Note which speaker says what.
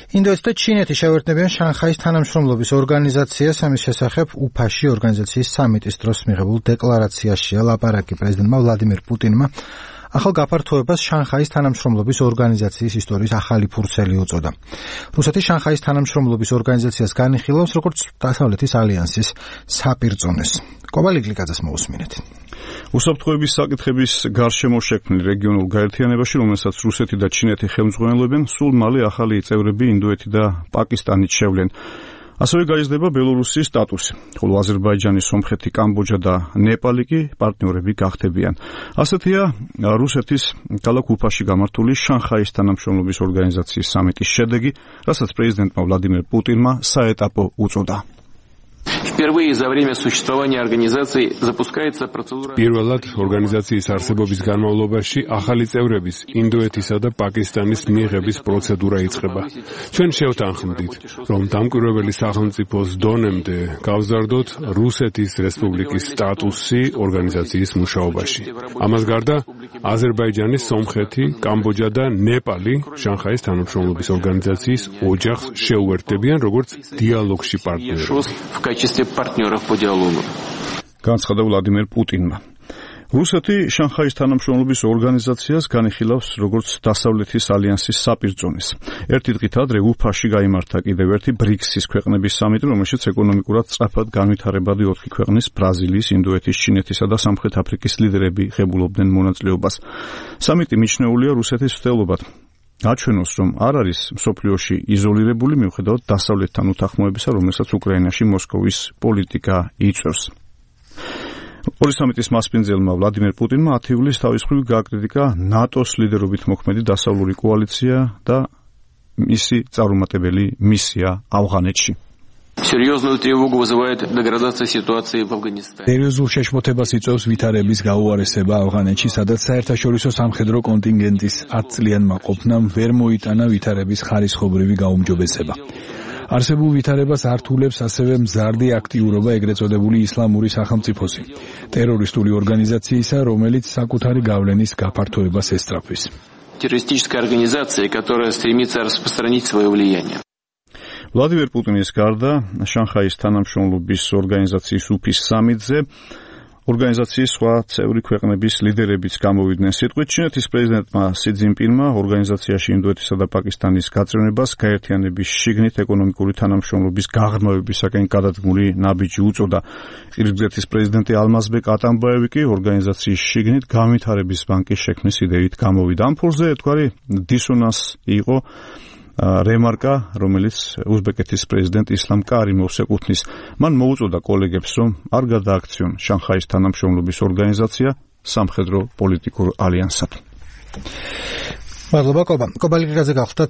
Speaker 1: ინდოეთი და ჩინეთი შევერთნებიან შანხაის თანამშრომლობის ორგანიზაციას. ამის შესახებ უფაში ორგანიზაციის სამიტის დროს მიღებულ დეკლარაციაშია ლაპარაკი პრეზიდენტმა ვლადიმერ პუტინმა. ახალ გაფართოებას შანხაის თანამშრომლობის ორგანიზაციის ისტორიის ახალი ფურცელი უწოდა. რუსეთი შანხაის თანამშრომლობის ორგანიზაციას განიხილავს როგორც დასავლეთის ალიანსის საპირწონეს. კობალიგლიკაძეს მოусმინეთ.
Speaker 2: უსაფრთხოების საკითხების გარშემო შექმნილ რეგიონულ გაერთიანებაში, რომელსაც რუსეთი და ჩინეთი ხელმძღვანელობენ, სულ მალე ახალი წევრები ინდოეთი და პაკისტანიც შევლენ. ასევე გაიზრდება ბელორუსის სტატუსი, ხოლო აზერბაიჯანი, სომხეთი, კამბოჯა და ნეპალი კი პარტნიორები გახდებიან. ასეთია რუსეთის ქალაქ უფაში გამართული შანხაის თანამშრომლობის ორგანიზაციის სამიტის შედეგი, რასაც პრეზიდენტმა ვლადიმერ პუტინმა საეტაპო უწოდა.
Speaker 3: პირველად ორგანიზაციის არსებობის განმავლობაში ახალი წევრების ინდოეთისა და პაკისტანის მიღების პროცედურა იწყება. ჩვენ შევთანხმდით, რომ დამკვირვებელი სახელმწიფოს დონემდე გავზარდოთ რუსეთის რესპუბლიკის სტატუსი ორგანიზაციის მუშაობაში. ამას გარდა აზერბაიჯანი, სომხეთი, კამბოჯა და ნეპალი შანხაის თანამშრომლობის ორგანიზაციის ოჯახს შეუერთდებიან როგორც დიალოგში პარტნიორები.
Speaker 2: განცხადა ვლადიმერ პუტინმა. რუსეთი შანხაის თანამშრომლობის ორგანიზაციას განიხილავს როგორც დასავლეთის ალიანსის საპირწონეს. ერთი დღით ადრე უფაში გაიმართა კიდევ ერთი ბრიქსის ქვეყნების სამიტი, რომელშიც ეკონომიკურად სწრაფად განვითარებადი 4 ქვეყნის ბრაზილიის, ინდოეთის, ჩინეთისა და სამხრეთ აფრიკის ლიდერები ღებულობდნენ მონაწილეობას. სამიტი მიჩნეულია რუსეთის მცდელობად გაჩვენოს, რომ არ არის მსოფლიოში იზოლირებული მიუხედავად დასავლეთთან უთანხმოებისა, რომელსაც უკრაინაში მოსკოვის პოლიტიკა იწვევს. ორი სამიტის მასპინძელმა ვლადიმერ პუტინმა 10 ივლისს თავის მხრივ გააკრიტიკა ნატოს ლიდერობით მოქმედი დასავლური კოალიცია და მისი წარუმატებელი მისია ავღანეთში.
Speaker 4: სერიოზულ შეშფოთებას იწვევს ვითარების გაუარესება ავღანეთში, სადაც საერთაშორისო სამხედრო კონტინგენტის 10 წლიანმა ყოფნამ ვერ მოიტანა ვითარების ხარისხობრივი გაუმჯობესება. არსებულ ვითარებას ართულებს ასევე მზარდი აქტიურობა ეგრეთ წოდებული ისლამური სახელმწიფოსი, ტერორისტული ორგანიზაციისა, რომელიც საკუთარი გავლენის გაფართოებას ესწრაფვის.
Speaker 5: Террористическая организация, которая стремится распространить свое влияние.
Speaker 2: ვლადიმერ პუტინის გარდა შანხაის თანამშრომლობის ორგანიზაციის უფის სამიტზე ორგანიზაციის სხვა წევრი ქვეყნების ლიდერებიც გამოვიდნენ სიტყვით. ჩინეთის პრეზიდენტმა სი ძინპინმა ორგანიზაციაში ინდოეთისა და პაკისტანის გაწევნებას გაერთიანების შიგნით ეკონომიკური თანამშრომლობის გაღრმავებისაკენ გადადგმული ნაბიჯი უწოდა. ყირგიზეთის პრეზიდენტი ალმაზბეკ ატამბაევი კი ორგანიზაციის შიგნით განვითარების ბანკის შექმნის იდეით გამოვიდა. ამ ფურზე ერთგვარი დისონანსი იყო რემარკა, რომელიც უზბეკეთის პრეზიდენტ ისლამ კარიმოვს ეკუთვნის. მან მოუწოდა კოლეგებს, რომ არ გადააქციონ შანხაის თანამშრომლობის ორგანიზაცია სამხედრო პოლიტიკურ ალიანსად.
Speaker 1: მადლობა, კობალიგლიკაძე გახლდათ.